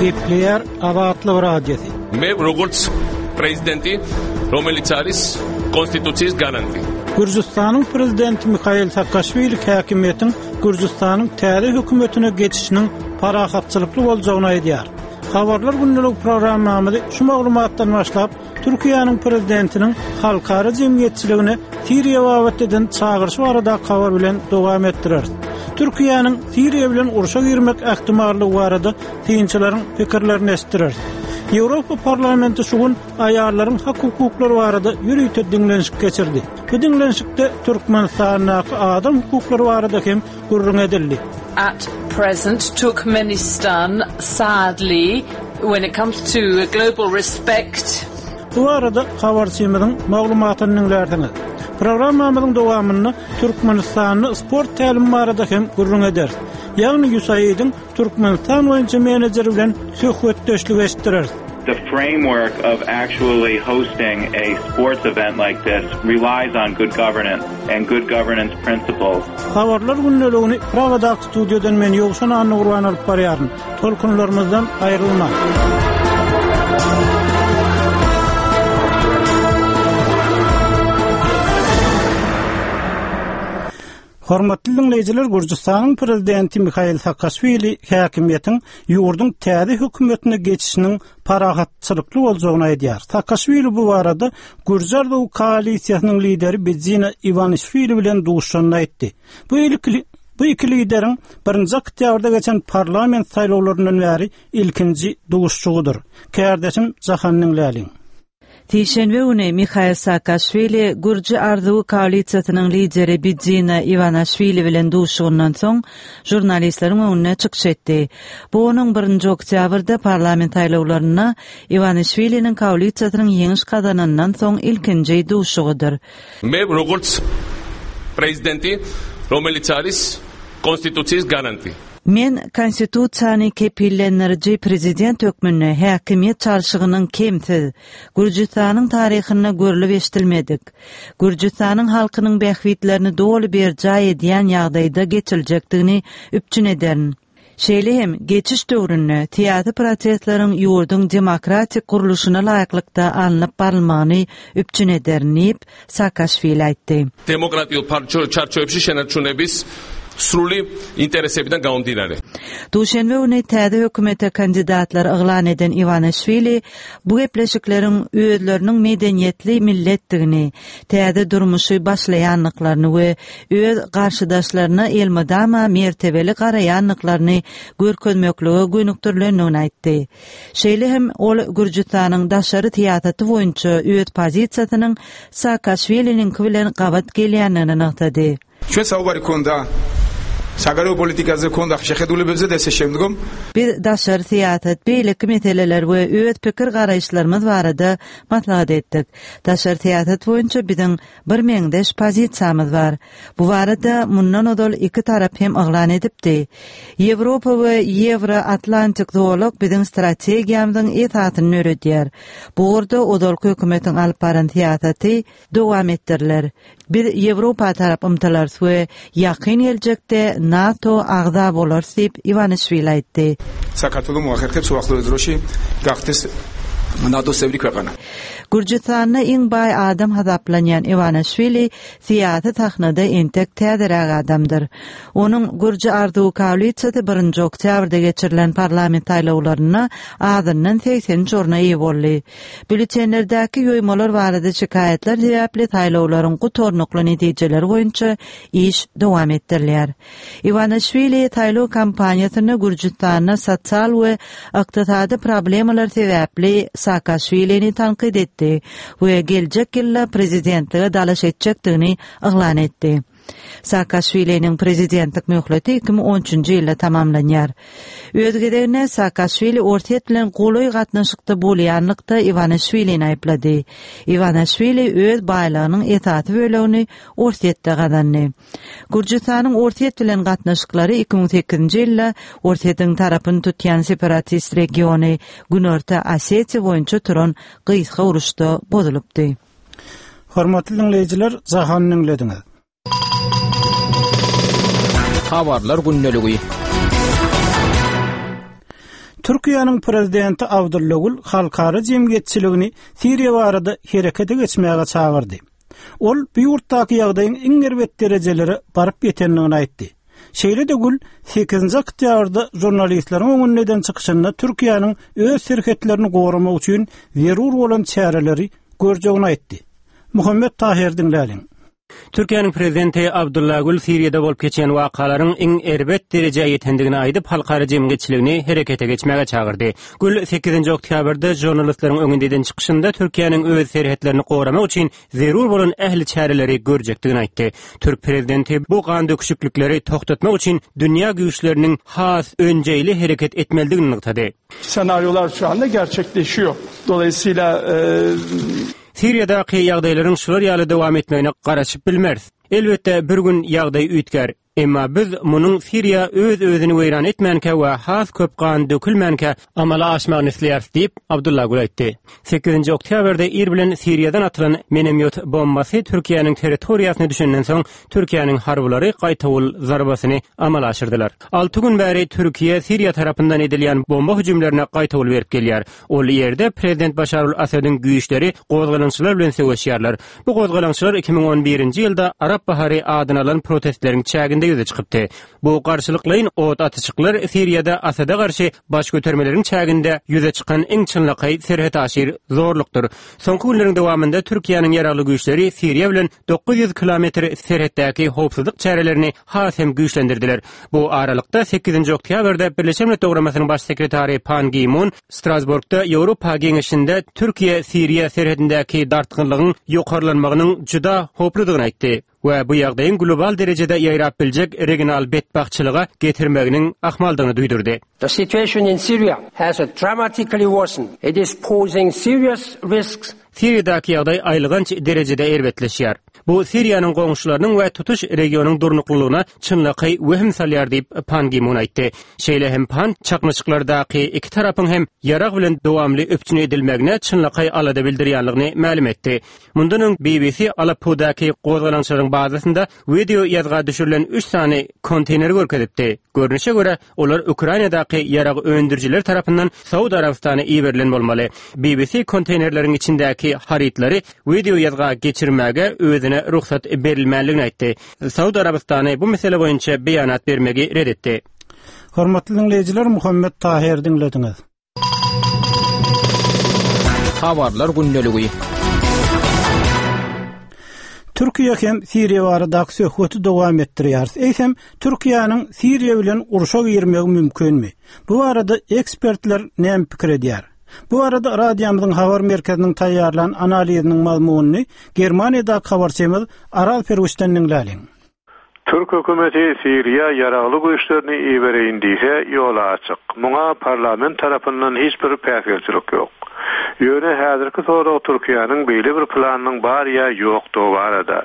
Gepleýär Azatlyk Radiosy. მე როგორც პრეზიდენტი, რომელიც არის კონსტიტუციის გარანტი. Gürjüstanyň prezidenti Mihail Saakaşwili häkimiýetiň Gürjüstanyň täze hökümetine geçişiniň parahatçylykly boljagyny aýdýar. Habarlar gündelik programmamyzy şu maglumatdan başlap, Türkiýäniň prezidentiniň halkara jemgyýetçiligine Siriýa babatda eden çagyryşy baradaky habar bilen dowam etdireris. Türkiýäniň Siriýa bilen urşa girmek ähtimallygy barada synçylaryň pikirlerini eşitdireris. Ýewropa Parlamenti şu gün aýallaryň hak-hukuklary barada ýörite diňlenişik geçirdi. Bu diňlenişikde Türkmenistandaky adam hukuklary barada hem gürrüň edildi. At present Turkmenistan sadly when it comes to global respect. Bu barada habarçymyzyň maglumatyny diňlärsiňiz. Programmamyzyň dowamynda Türkmenistanda sport tälimi barada hem gürrüň ederis. Ýagny USAID-iň Türkmenistan boýunça menejeri bilen söhbetdeşlik eşitdireris. The framework of actually hosting a sports event like this relies on good governance and good governance principles. Habarlar gündeligini Pragadaky studiýadan men Ýowşan Annagurban alyp barýaryn. Tolkunlarymyzdan aýrylmaň. Hormatly diňleýjiler, Gürjüstanyň prezidenti Mihail Saakaşwili häkimiýetiň ýurduň täze hökümetine geçişiniň parahatçylykly boljagyny aýdýar. Saakaşwili bu barada Gürji arzuwy koalisiýasynyň lideri Bidzina Iwanişwili bilen duşuşanda aýtdy. Bu ilki bu iki lideriň birinji oktýabrda geçen parlament saýlawlaryndan bäri ilkinji duşuşygydyr. Kärdeşim Jahan diňläliň. Sişenbe güni Mihail Saakaşwili Gürji arzuwy koalisiýasynyň lideri Bidzina Iwanaşwili bilen duşuşygyndan soň žurnalistleriň öňünde çykyş etdi. Bu onuň birinji oktýabrda parlament saýlawlarynda Iwanişwiliniň koalisiýasynyň ýeňiş gazananyndan soň ilkinji duşuşygydyr. მე როგორც პრეზიდენტი, რომელიც არის კონსტიტუციის გარანტი. Men Konstitusiýany kepillendiriji prezident hökmünde häkimiýet çalşygynyň kemsiz, Gürjüstanyň taryhynda görlüp-eşidilmedik, Gürjüstanyň halkynyň bähbitlerini doly berjaý edýän ýagdaýda geçiriljekdigini üpjün ederin. Şeýle hem, geçiş döwründe syýasy prosesleriň ýurduň demokratik gurluşyna laýyklykda alnyp barylmagyny üpjün ederin diýip, Saakaşwili aýtdy. დემოკრატიულ ჩარჩოებში შენარჩუნების სრული ინტერესებიდან გამომდინარე. Duşenbe güni täze hökümete kandidatlary yglan eden Iwanişwili bu gepleşikleriň özleriniň medeniýetli milletdigini, täze durmuşy başlaýandyklaryny we öz garşydaşlaryna elmydama mertebeli garaýandyklaryny görkezmeklige gönükdirilendigini aýtdy. Şeýle hem ol Gürjüstanyň daşary syýasaty boýunça öz pozisiýasynyň Saakaşwiliniňki bilen gabat gelýändigini nygtady. ჩვენ საუბარი გქონდა საგარეო პოლიტიკაზე გქონდა შეხედულებებზე და ესე შემდგომ. Biz daşary syýasat, beýleki meseleler we öz pikir-garaýyşlarymyz barada maslahat etdik. Daşary syýasat boýunça biziň Birmeňzeş pozisiýamyz bar. Bu barada mundan ozal iki tarap hem yglan edipdi. Ýewropa we Ýewro-Atlantik zolak biziň strategiýamyzyň esasyny döredýär. Bu ugurda ozalky hökümetiň alyp baran syýasaty dowam etdiriler. Biz Ýewropa tarap ymtylarys we ýakyn geljekde NATO agza bolarys diýip, Iwanişwili aýtdy. საქართველო მოახერხებს უახლოეს დროში გახდეს NATO-s წევრი ქვეყანა. Gürjüstanda iň baý adam hasaplanýan Iwanişwili syýasy sahnada entek täzeräk adamdyr. Onuň Gürji arzuwy koalisiýasy birinji oktýabrda geçirilen parlament saýlawlarynda azyndan 83 orna eýe boldy. Býulletenlerdäki ýoýmalar barada şikaýatlar sebäpli saýlawlaryň gutarnykly netijeleri boýunça iş dowam etdirilýär. Iwanişwili saýlaw kampaniýasynda Gürjüstanda sosial we ykdysady problemalar sebäpli Saakaşwilini tankyt etdi we geljek ýylda prezidentlige dalaş etjekdigini yglan etdi. Saakaşwiliniň prezidentlik möhleti 2013-nji ýylda tamamlanýar. Öz gezeginde Saakaşwili Orsýet bilen golaý gatnaşykda bolýanlykda Iwanişwilini aýyplady. Iwanişwili öz baýlygynyň esasy bölegini Orsýetde gazandy. Gürjüstanyň Orsýet bilen gatnaşyklary 2008-nji ýylda Orsýetiň tarapyny tutýan separatist regiony Günorta Osetiýa boýunça turan gysga uruşda bozulypdy. Hormatly diňleýjiler, Jahany diňlediňiz. Habarlar gündeligi. Türkiýäniň prezidenti Abdylla Gül halkara jemgyýetçiligini Siriýa barada herekete geçmäge çagyrdy. Ol bu ýurtdaky ýagdaýyň iň erbet derejelere baryp ýetendigini aýtdy. Şeýle-de Gül sekizinji oktýabrda žurnalistleriň öňünde eden çykyşynda Türkiýäniň öz serhetlerini goramak üçin zerur bolan çäreleri görjegini aýtdy. Muhammet Tahyr diňläliň. Türkiýäniň prezidenti Abdylla Gül Siriýada bolup geçýän wakalaryň iň erbet derejä ýetendigini aýdyp, halkara jemgyýetçiligini herekete geçmäge çagyrdy. Gül sekizinji oktýabrda žurnalistleriň öňünde eden çykyşynda Türkiýäniň öz serhetlerini goramak üçin zerur bolan ähli çäreleri görjekdigini aýtdy. Türk prezidenti bu gandöküşiklikleri togtatmak üçin dünýä güýçleriniň has önjeýli hereket etmelidigini nygtady. Senaryolar şu anda gerçekleşiyor. Dolayısıyla Siriýadaky ýagdaýlaryň şular ýaly dowam etmegine garaşyp bilmeris. Elbetde, bir gün ýagdaý üýtgär. Emma biz munuň Siriýa öz-özüni weýran etmänkä we has köp gan dökülmänkä amala aşmagyny isleýäris diýip, Abdylla Gül aýtdy. Sekizinji oktýabrda ir bilen Siriýadan atylan minomýot bombasy Türkiýäniň territoriýasyna düşenden soň, Türkiýäniň harbylary gaýtawul zarbasyny amala aşyrdylar. Alty gün bäri Türkiýe Siriýa tarapyndan edilýän bomba hüjümlerine gaýtawul berip gelýär. Ol ýerde prezident Başar al-Assadyň güýçleri gozgalaňçylar bilen söweşýärler. Bu gozgalaňçylar 2011-nji ýylda Arap bahary adyny alan protestleriň çäginde ýüze çykypdy. Bu garşylyklaýyn ot atyşyklar Siriýada Asada garşy baş götermeleriň çäginde ýüze çykan iň çynlakaý serhetaşyr zorlukdyr. Soňky günleriň dowamynda Türkiýäniň ýaragly güýçleri Siriýa bilen 900 kilometr serhetdäki howpsuzlyk çärelerini has hem güýçlendirdiler. Bu aralykda, sekizinji oktýabrda Birleşen Milletler Guramasynyň Baş sekretary Pan Gi Mun Strasburgda Ýewropa Geňeşinde Türkiýe-Siriýa serhedindäki dartgynlygyň ýokarlanmagynyň juda howpludygyny aýtdy we bu ýagdaýyň global derejede ýaýrap biljek regional betbagtçylyga getirmeginiň ahmaldygyny duýdurdy. The situation in Syria has dramatically worsened. It is posing serious risks Siriýadaky ýagdaý aýylganç derejede erbetleşýär. Bu Siriýanyň goňşularynyň we tutuş regionyň durnuklylygyna çynlakaý wehim salýar diýip, Pan Gi Mun aýtdy. Şeýle hem Pan çaknyşyklardaky iki tarapyň hem ýarag bilen dowamly üpjün edilmegine çynlakaý alada bildirýänligini mälim etdi. Mundan öň BBC Aleppodaky gozgalaňçylaryň bazasynda wideo ýazga düşürilen üç sany konteýneri görkezipdi. Görnüşe görä, Olar Ukrainadaky ýarag öndürijiler tarapyndan Saud Arabystana iberilen bolmaly. BBC konteýnerleriň içindäki harytlary wideoýazga geçirmäge özüne rugsat berilmänligini aýtdy. Saud Arabystany bu mesele boýunça beýanat bermegi ret etdi. Hormatly diňleýjiler, Muhammet Tahyr diňlediňiz. Habarlar gündeligi. Türkiýe hem Siriýa baradaky söhbeti dowam etdirýäris. Eýsem, Türkiýäniň Siriýa bilen urşa girmegi mümkinmi? Bu barada ekspertler näme pikir edýär? Bu barada radiomyzyň habar merkeziniň taýýarlan analiziniň mazmunyny Germaniýadaky habarçymyz Araz Perwiçden diňläliň. Türk hökümeti Siriýa ýaragly güýçlerini ibereýin diýse, ýoly açyk. Muňa parlament tarapyndan hiç bir päsgelçilik ýok. Ýöne häzirki sorag Türkiýäniň beýle bir planynyň bar ýa ýokdugy barada.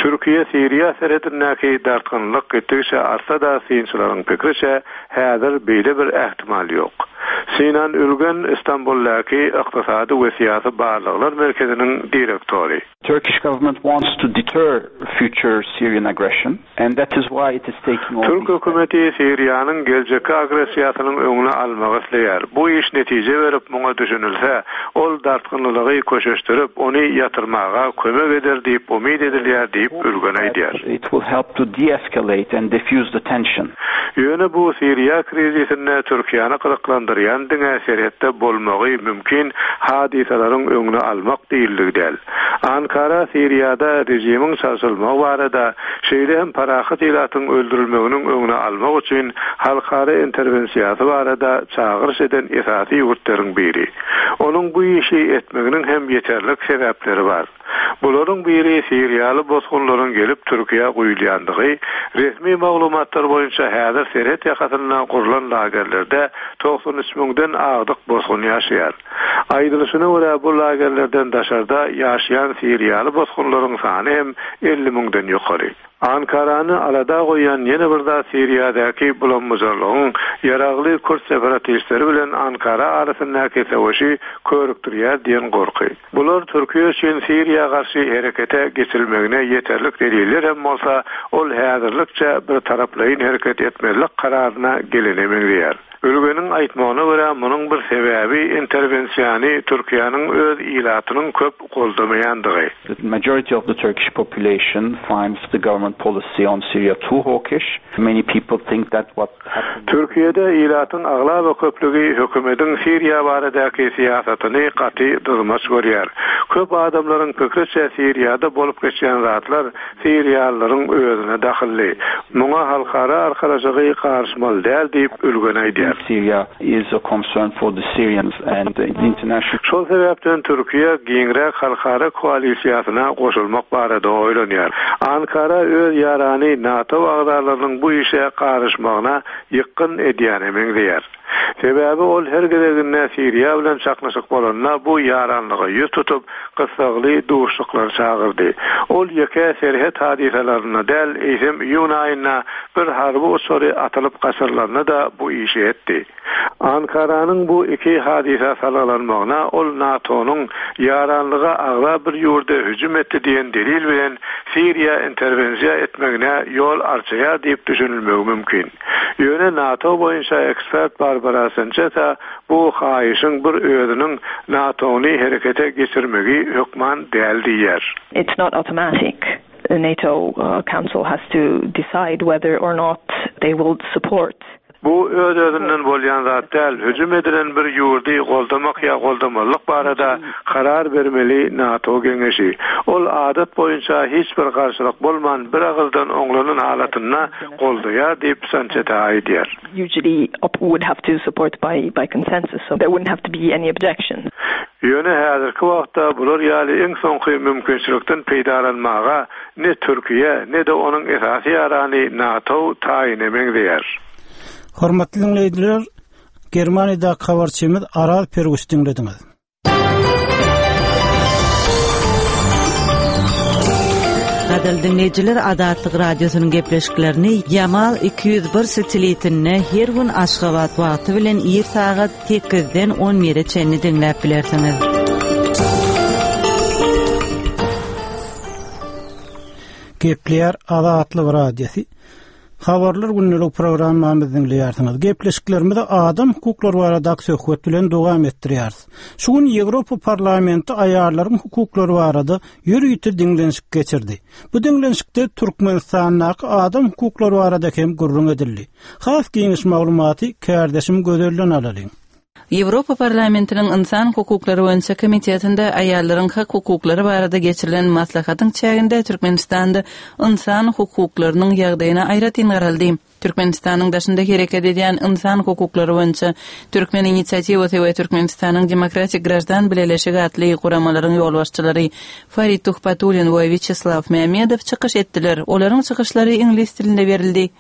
Türkiýe-Siriýa serhedindäki dartgynlylyk gitdigiçe artsa-da, synçylaryň pikriçe, häzir beýle bir ähtimal ýok. Sinan Ülgen Istanbuldaky Ykdysady we syýasy barlaglar merkeziniň direktory. Turkish government wants to deter future Syrian aggression and that is why it is taking all Türk hökümeti Siriýanyň geljekki agressiýasynyň öňüni almagy isleýär. Bu iş netije berip, muňa düşünilse, ol dartgynlylygy köşeşdirip, ony ýatyrmaga kömek eder diýip umyt edilýär diýip, Ülgen aýdýar. It will help to de-escalate and defuse the tension. Ýöne bu Siriýa krizisinde Türkiýäni gyzyklandyrýan diňe serhetde bolmagy mümkin hadysalaryň öňüni almak diýildigi däl. Ankara Siriýada režimiň çalşylmagy barada, şeýle hem parahat ilatyň öldürilmeginiň öňüni almak üçin halkara interwensiýasy barada çagyryş eden esasy ýurtlaryň biri. Onuň bu işi etmeginiň hem ýeterlik sebäpleri bar. Bularyň biri siriýaly bosgunlaryň gelip Türkiýä guýulýandygy, resmi maglumatlar boýunça häzir serhet ýakasynda gurlan lagerlerde 93 müňden agdyk bosgun ýaşaýar. Aýdylyşyna görä, bu lagerlerden daşarda ýaşaýan siriýaly bosgunlaryň sany hem 50 müňden ýokary. Ankarany alada goýýan ýene bir zat Siriýadaky bulam-bujarlygyň ýaragly kürt separatistleri bilen Ankara arasyndaky söweşi körükdirýär diýen gorky. Bular Türkiýe üçin Siriýa garşy herekete geçirilmegine ýeterlik deliller hem bolsa, ol häzirlikçe bir taraplaýyn hereket etmezlik kararyna gelene meňzeýär. Ülgeniň aýtmagyna görä, munuň bir sebäbi interwensiýany Türkiýäniň öz ilatynyň köp goldamaýandygy. The majority of the Turkish population finds the government policy on Syria too hawkish. Many people think that what happened. Türkiýede ilatyň aglaba köplügi hökümediň Siriýa baradaky syýasatyny gaty dyzmaç görýär. Köp adamlaryň pikriçe Siriýada bolup geçýän zatlar siriýalylaryň özüne dahylly. Muňa halkara arkalaşygy garyşmaly däl diýip, Ülgen aýdýar. Syria is a concern for the Syrians and the international. Şol sebäpden Türkiýe giňräk halkara koalisiýasyna goşulmak barada oýlanýar. Ankara öz ýarany NATO agzalarynyň bu işe garyşmagyna ýykgyn edýäne meňzeýär. Sebäbi ol her gezeginde Siriýa bilen çaknyşyk bolanda bu ýaranlyga ýüz tutup, gyssagly duşuşyklar çagyrdy. Ol ýeke serhet hadysalarynda däl, eýsem iýun aýynda bir harby uçary atylyp gaçyrylanda-da bu işi etdi. Ankaranyň bu iki hadysa salgylanmagyna ol NATO-nyň ýaranlyga agza bir ýurda hüjüm etdi diýen delil bilen Siriýa interwensiýa etmegine ýol arçaýar diýip düşünilmegi mümkin. Ýöne NATO boýunça ekspert Barbara Sançesa bu haýyşyň bir özüniň NATO-ny herekete geçirmegi hökman däl diýýär. It's not automatic. The NATO Council has to decide whether or not they will support. Bu öz-özünden bolýan zat däl, hüjüm edilen bir ýurdy goldamak ýa goldamazlyk barada karar bermeli NATO geňeşi. Ol adat boýunça hiç bir garşylyk bolman bir agyzdan oňlanan halatynda goldaýar diýip, Sançeta aýdýar. Usually would have to support by by consensus, so there wouldn't have to be any objections. Ýöne häzirki wagtda bular ýaly iň soňky mümkinçilikden peýdalanmaga ne Türkiýe, ne-de onuň esasy ýarany NATO taýyna meňzeýär. Hormatly diňleýjiler, Germaniýadaky habarçymyz Araz Perguş diňlediňiz. Gadyrly diňleýjiler, Azatlyk Radiosynyň gepleşiklerini Ýamal 201 satelitinde her gün Aşgabat wagty bilen ir sagat sekizden on bire çenli diňläp bilersiňiz. Gepleýär Azatlyk Radiosy. Habarlar gündelik programmamyzy diňleýärsiňiz. Gepleşiklerimizi adam hukuklary baradaky söhbet bilen dowam etdirýäris. Şu gün Ýewropa Parlamenti aýallaryň hukuklary barada ýörite diňlenişik geçirdi. Bu diňlenişikde Türkmenistandaky adam hukuklary barada hem gürrüň edildi. Has giňiş maglumaty kärdeşim Gözelden alalyň. Ýewropa Parlamentiniň Ynsan hukuklary boýunça komitetinde aýallaryň hak-hukuklary barada geçirilen maslahatyň çäginde Türkmenistanda ynsan hukuklarynyň ýagdaýyna aýratyn garaldy. Türkmenistanyň daşynda hereket edýän ynsan hukuklary boýunça Türkmen inisiatiwasy we Türkmenistanyň Demokratik graždan bileleşigi atly guramalaryň ýolbaşçylary Farid Tuhbatullin we Wýaçeslaw Mämmedow çykyş etdiler. Olaryň çykyşlary iňlis dilinde berildi.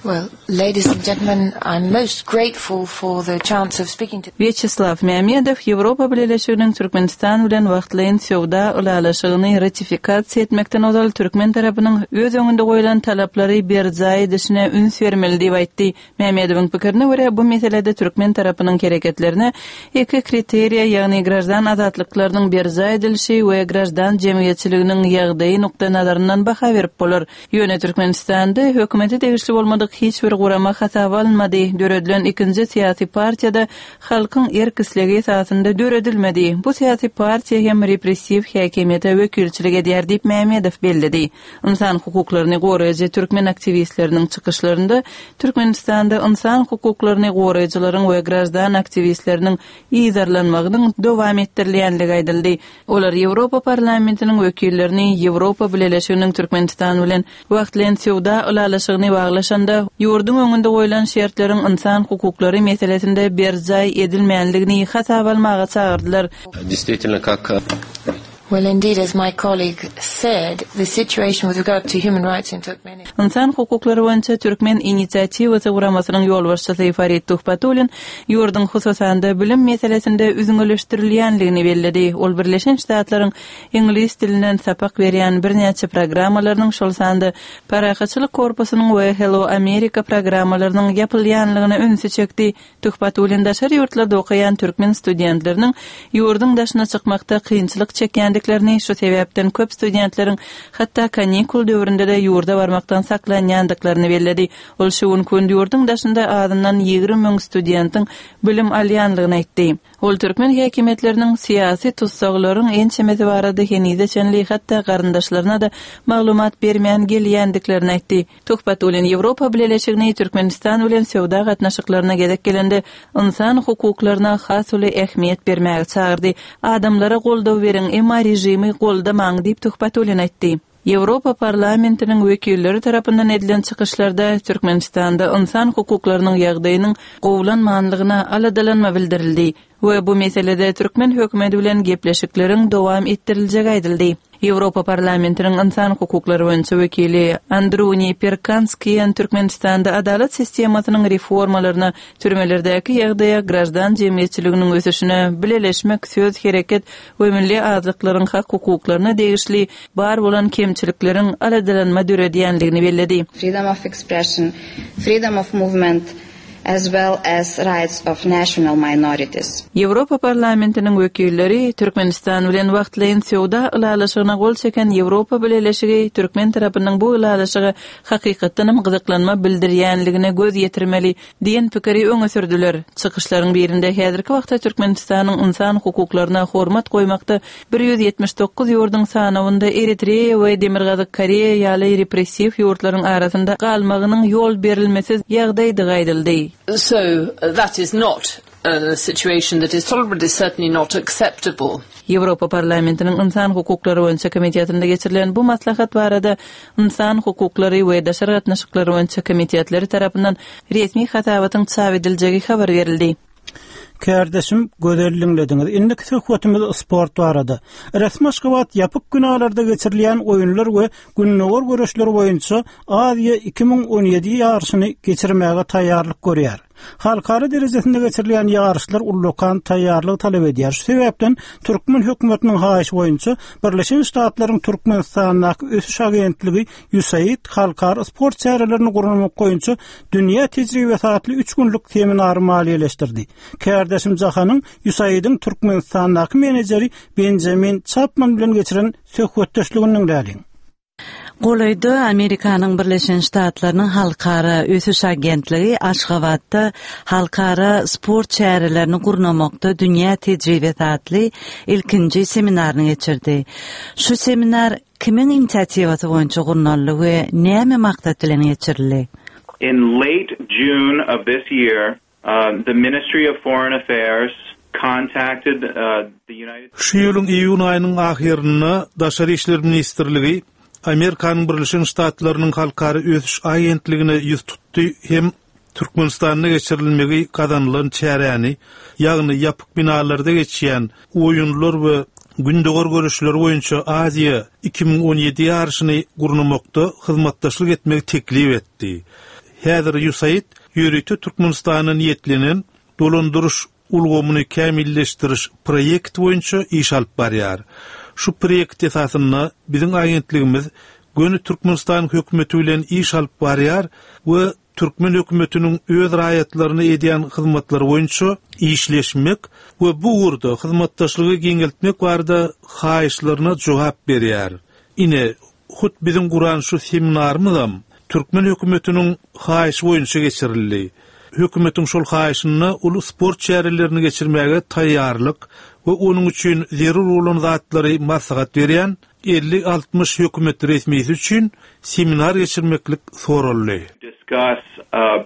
Well, ladies and gentlemen, I'm most grateful for the chance of speaking to. Wýaçeslaw Mämmedow Ýewropa Bileleşiginiň Türkmenistan bilen wagtlaýyn söwda ylalaşygyny ratifikasiýa etmekden ozal türkmen tarapynyň öz öňünde goýlan talaplary berjaý edişine üns bermeli diýip aýtdy. Mämmedowyň pikirine görä, bu meselede türkmen tarapynyň hereketlerine iki kriteriýa, ýagny graždan azatlyklarynyň berjaý edilişi we graždan jemgyýetçiliginiň ýagdaýy nukdaýnazaryndan baha berip bolar. Ýöne Türkmenistanda hökümete degişli bolmadyk hiç bir gurama hasaba alynmady, döredilen ikinji syýasy partiýa-da halkyň erk-islegi esasynda döredilmedi. Bu syýasy partiýa hem repressiw häkimiýete wekilçilik edýär diýip, Mämmedow belledi. Ynsan hukuklaryny goraýjy türkmen aktiwistleriniň çykyşlarynda Türkmenistanda ynsan hukuklaryny goraýjylaryň we graždan aktiwistleriniň yzarlanmagynyň dowam etdirilýänligi aýdyldy. Olar Ýewropa Parlamentiniň wekillerini Ýewropa Bileleşiginiň Türkmenistan bilen wagtlaýyn söwda ylalaşygyny baglaşanda, ýurduň öňünde goýlan şertleriň ynsan hukuklary meselesinde berjaý edilmänligini hasaba almaga çagyrdylar. Действительно, как Well, indeed, as my colleague said, the situation with regard to human rights in Turkmenistan. Ynsan hukuklary boýunça Türkmen inisiatiwasy guramasynyň ýolbaşçysy Farid Tuhbatullin ýurduň hususan-da bilim meselesinde üzňeleşdirilýänligini belledi. Ol Birleşen Ştatlaryň iňlis dilinden sapak berýän birnäçe programmalarynyň, şol sanda Parahatçylyk korpusynyň we Hello America programmalarynyň ýapylýanlygyna ünsi çekdi. Tuhbatullin daşary ýurtlarda okaýan türkmen studentleriniň ýurduň daşyna çykmakda kynçylyk çekýändiklerini. edýändiklerini, şu sebäpden köp studentleriň hatda kanikul döwründe-de ýurda barmakdan saklanýandyklaryny belledi. Ol şu günki gün ýurduň daşynda azyndan 20 müň studentiň bilim alýanlygyny aýtdy. Ol türkmen häkimiýetleriniň syýasy tussaglaryň ençemesi barada henize çenli hatda garyndaşlaryna-da maglumat bermän gelýändiklerini aýtdy. Tuhbatullin Ýewropa Bileleşigini Türkmenistan bilen söwda gatnaşyklaryna gezek gelende ynsan hukuklaryna has uly ähmiýet bermäge çagyrdy. Adamlara goldaw beriň, emma režimi goldamaň diýip Tuhbatullin aýtdy. Ýewropa Parlamentiniň wekilleri tarapyndan edilen çykyşlarda Türkmenistanda ynsan hukuklarynyň ýagdaýynyň gowulanmanlygyna aladalanma bildirildi we bu meselede türkmen hökümeti bilen gepleşikleriň dowam etdiriljegi aýdyldy. Ýewropa Parlamentiniň ynsan hukuklary boýunça wekili Andruni Perkanskiýen Türkmenistanda adalat sistemasynyň reformalaryna, türmelerdäki ýagdaýa, graždan jemgyýetçiliginiň ösüşine, bileleşmek, söz, hereket we milli azlyklaryň hak-hukuklaryna degişli bar bolan kemçilikleriň aladalanma döredýändigini belledi. Freedom of expression, freedom of movement, as well as rights of national minorities. Ýewropa Parlamentiniň wekilleri Türkmenistan bilen wagtlaýyn söwda ylalaşygyna gol çeken Ýewropa Bileleşigi türkmen tarapynyň bu ylalaşyga hakykatdanam gyzyklanma bildirýänligine göz ýetirmeli diýen pikiri öňe sürdüler. Çykyşlaryň birinde häzirki wagtda Türkmenistanyň ynsan hukuklaryna hormat goýmakda 179 ýurduň sanawynda Eritreýa we Demirgazyk Koreýa ýaly repressiw ýurtlaryň arasynda galmagynyň ýol berilmesiz ýagdaýdygy aýdyldy. So that is not a situation that is tolerable, it is certainly not acceptable. Ýewropa Parlamentiniň Ynsan hukuklary boýunça komitetinde geçirilen bu maslahat barada Ynsan hukuklary we daşary gatnaşyklar boýunça komitetleri tarapyndan resmi hasabatyň çap ediljegi habar berildi. Kärdeşim Gözel diňlediňiz. Indiki söhbetimiz sport barada. Resmi Aşgabat ýapyk binalarda geçirilýän oýunlar we gündogar göreşleri boýunça Aziýa 2017 ýaryşyny geçirmäge taýýarlyk görýär. Halkara derejesinde geçirilýän ýaryşlar ullakan taýýarlygy talap edýär. Şu sebäpden türkmen hökümetiniň haýyşy boýunça Birleşen Ştatlaryň Türkmenistandaky ösüş agentligi USAID halkara sport çärelerini gurnamak boýunça dünýä tejribesi atly üç günlük seminary maliýeleşdirdi. Kärdeşim Jahanyň USAID-iň Türkmenistandaky menejeri Benjamin Çapman bilen geçiren söhbetdeşligini diňläliň. Golaýda Amerikanyň Birleşen Ştatlarynyň Halkara ösüş agentligi Aşgabatda Halkara sport çärelerini gurnamakda dünýä tejribesi atly ilkinji seminaryny geçirdi. Şu seminar kimiň inisiatiwasy boýunça gurnaldy we näme maksat bilen geçirildi? In late June of this year, the Ministry of Foreign Affairs contacted the United Şu ýylyň iýun aýynyň ahyrynda Daşary işler ministrligi Amerikanyň Birleşen Ştatlarynyň Halkara ösüş agentligine ýüz tutdy hem Türkmenistanda geçirilmegi gazanylan çäräni, ýagny ýapyk binalarda geçýän Oýunlar we Gündogar göreşleri boýunça Aziýa 2017 ýaryşyny gurnamakda hyzmatdaşlyk etmegi teklip etdi. Häzir USAID ýörite Türkmenistana niýetlenen dolandyryş ulgamyny kämilleşdiriş proýekti boýunça iş alyp barýar. Şu proýekt esasynda biziň agentligimiz göni Türkmenistanyň hökümeti bilen iş alyp barýar we türkmen hökümetiniň öz raýatlaryna edýän hyzmatlary boýunça işleşmek we bu ugurda hyzmatdaşlygy giňeltmek barada haýyşlaryna jogap berýär. Ine, Hut biziň guran şu seminarymyzam türkmen hökümetiniň haýyşy boýunça geçirildi. Hökümetiň şol haýyşynda uly sport çärelerini geçirmäge taýýarlyk we onuň üçin zerur bolan zatlary maslahat berýän elli-altmyş hökümet resmisi üçin seminar geçirmeklik soraldy. Discuss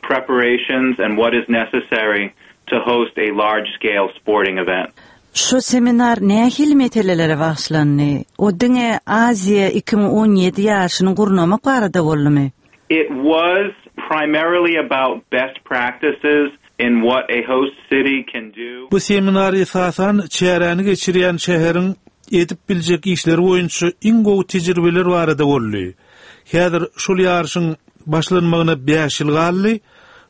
preparations and what is necessary to host a large-scale sporting event. Şu seminar nähili meselelere bagyşlandy? O diňe Aziýa 2017 ýaryşyny gurnamak barada boldumy? It was primarily about best practices in what a host city can do. Bu seminar esasan çäräni geçirýän şäheriň edip biljek işleri boýunça iň gowy tejribeler barada boldy. Häzir şol ýaryşyň başlanmagyna bäş ýyl galdy,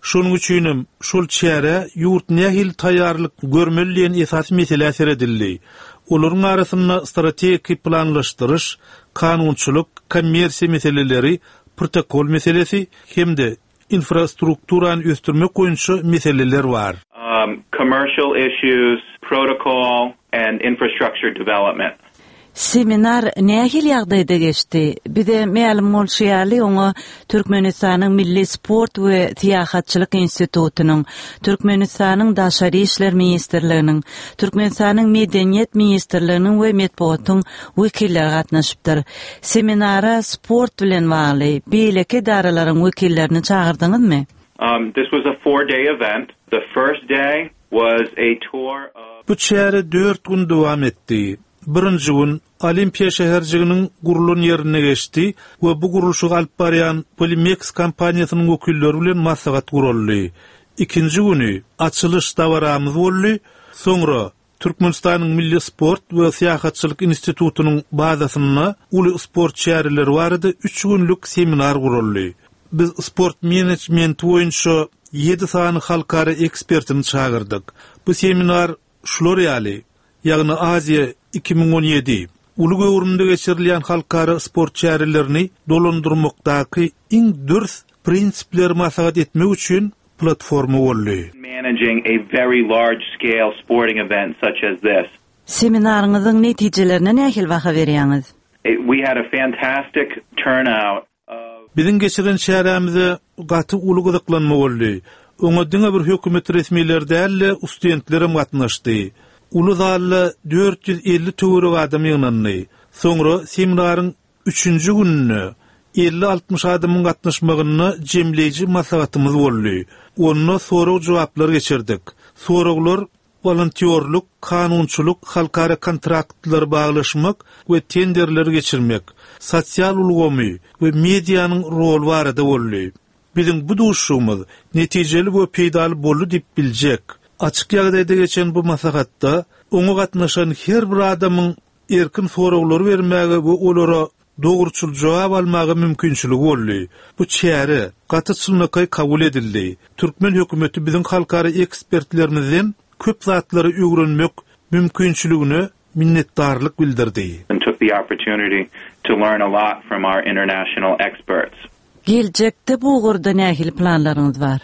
Şonuň üçinem şol çärä ýurt nähili taýýarlyk görmeli diýen esasy meselä seredildi. Olaryň arasynda strategiki planlaşdyryş, kanunçylyk, kommersiýa meseleleri, protokol meselesi hem-de infrastrukturany ösdürmek boýunça meseleler bar. Commercial issues, protocol and infrastructure development. Seminar nähili ýagdaýda geçdi? Bize mälim bolşy ýaly, oňa Türkmenistanyň Milli sport we syýahatçylyk institutynyň, Türkmenistanyň Daşary işler ministrliginiň, Türkmenistanyň Medeniýet ministrliginiň we metbugatyň wekilleri gatnaşypdyr. Seminara sport bilen bagly beýleki edaralaryň wekillerini çagyrdyňyzmy? This was a four-day event. The first day was a tour of. Bu çäre dört gün dowam etdi. Birinji gün Olimpiýa şäherjiginiň gurlan ýerinde geçdi we bu gurluşygy alyp barýan Polimex kompaniýasynyň wekilleri bilen maslahat guraldy. Ikinji güni açylyş dabaramyz boldy, soňra Türkmenistanyň Milli sport we syýahatçylyk institutynyň bazasynda uly sport çäreleri barada üç günlük seminar guraldy. Biz sport menejmenti boýunça ýedi sany halkara ekspertini çagyrdyk. Bu seminar Şular ýaly, ýagny Aziýa 2017, uly göwrümde geçirilýän halkara sport çärelerini dolandyrmakdaky iň dürs prinsipleri maslahat etmek üçin platforma boldy. Managing a very large scale sporting event such as this. Seminaryňyzyň netijelerine nähili baha berýäňiz? We had a fantastic turnout. Biziň geçiren çärämize gaty uly gyzyklanma boldy. Oňa diňe bir hökümet resmileri däl-de, ustudentlerem gatnaşdy. Uly zalda 450 töweregi adam ýygnandy. Soňra seminaryň üçünji gününde elli-altmyş adamyň gatnaşmagynda jemleýji maslahatymyz boldy. Onda sorag-jogaplar geçirdik. Soraglar wolontýorlyk, kanunçylyk, halkara kontraktlary baglaşmak we tenderleri geçirmek, sosial ulgamy we medianyň roly barada boldy. Biziň bu duşuşygymyz netijeli we peýdaly boldy diýip biljek. Açyk ýagdaýda geçen bu maslahatda oňa gatnaşan her bir adamyň erkin soraglary bermäge we olara dogruçyl jogap almaga mümkinçiligi boldy. Bu çäre gaty çynlakaý kabul edildi. Türkmen hökümeti biziň halkara ekspertlerimizden köp zatlary öwrenmek mümkinçiligine minnetdarlyk bildirdi. And took the opportunity to learn a lot from our international experts. Geljekde bu ugurda nähili planlaryňyz bar?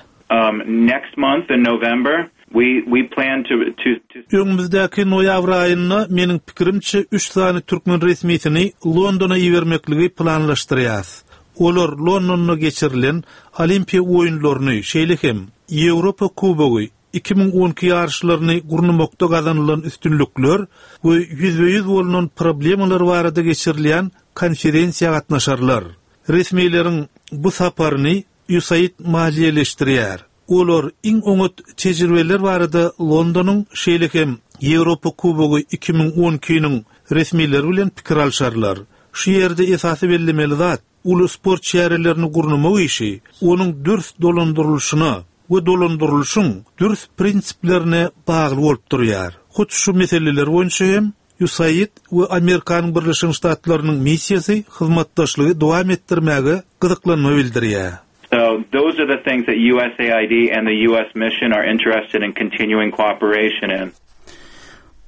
Next month in November we we plan to to to. Öňümizdäki noýabr aýynda, meniň pikirimçe, üç sany türkmen resmisini Londona ibermekligi planlaşdyrýas. Olar Londonda geçirilen Olimpiýa oýunlaryny, şeýle hem Ýewropa Kubogy 2012 ýaryşlaryny gurnamakda gazanylan üstünlikler we ýüzbe-ýüz bolnan problemalar barada geçirilýän konferensiýa gatnaşarlar. Resmileriň bu saparyny USAID maliýeleşdirýär. Olar iň oňat tejribeler barada Londonyň, şeýle hem Ýewropa Kubogy 2012-niň resmileri bilen pikir alşarlar. Şu ýerde esasy bellemeli zat, uly sport çärelerini gurnamak işi onuň dürs dolandyrylyşyna we dolandyrylyşyň dürs prinsiplerine bagly bolup durýar. Hut şu meseleler boýunça hem USAID we Amerikanyň Birleşen Ştatlarynyň missiýasy hyzmatdaşlygy dowam etdirmäge gyzyklanma bildirýär. So, those are the things that USAID and the US mission are interested in continuing cooperation in.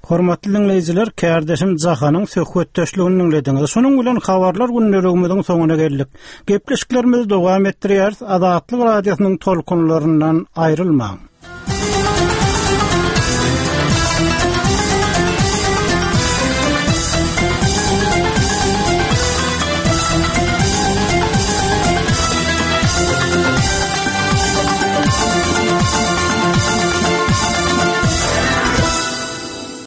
Hormatly diňleýjiler, kärdeşim Jahanyň söhbetdeşligini diňlediňiz. Şunuň bilen habarlar gündeligimiziň soňuna geldik. Gepleşiklerimizi dowam etdirýäris. Azatlyk Radiosynyň tolkunlaryndan aýrylmaň.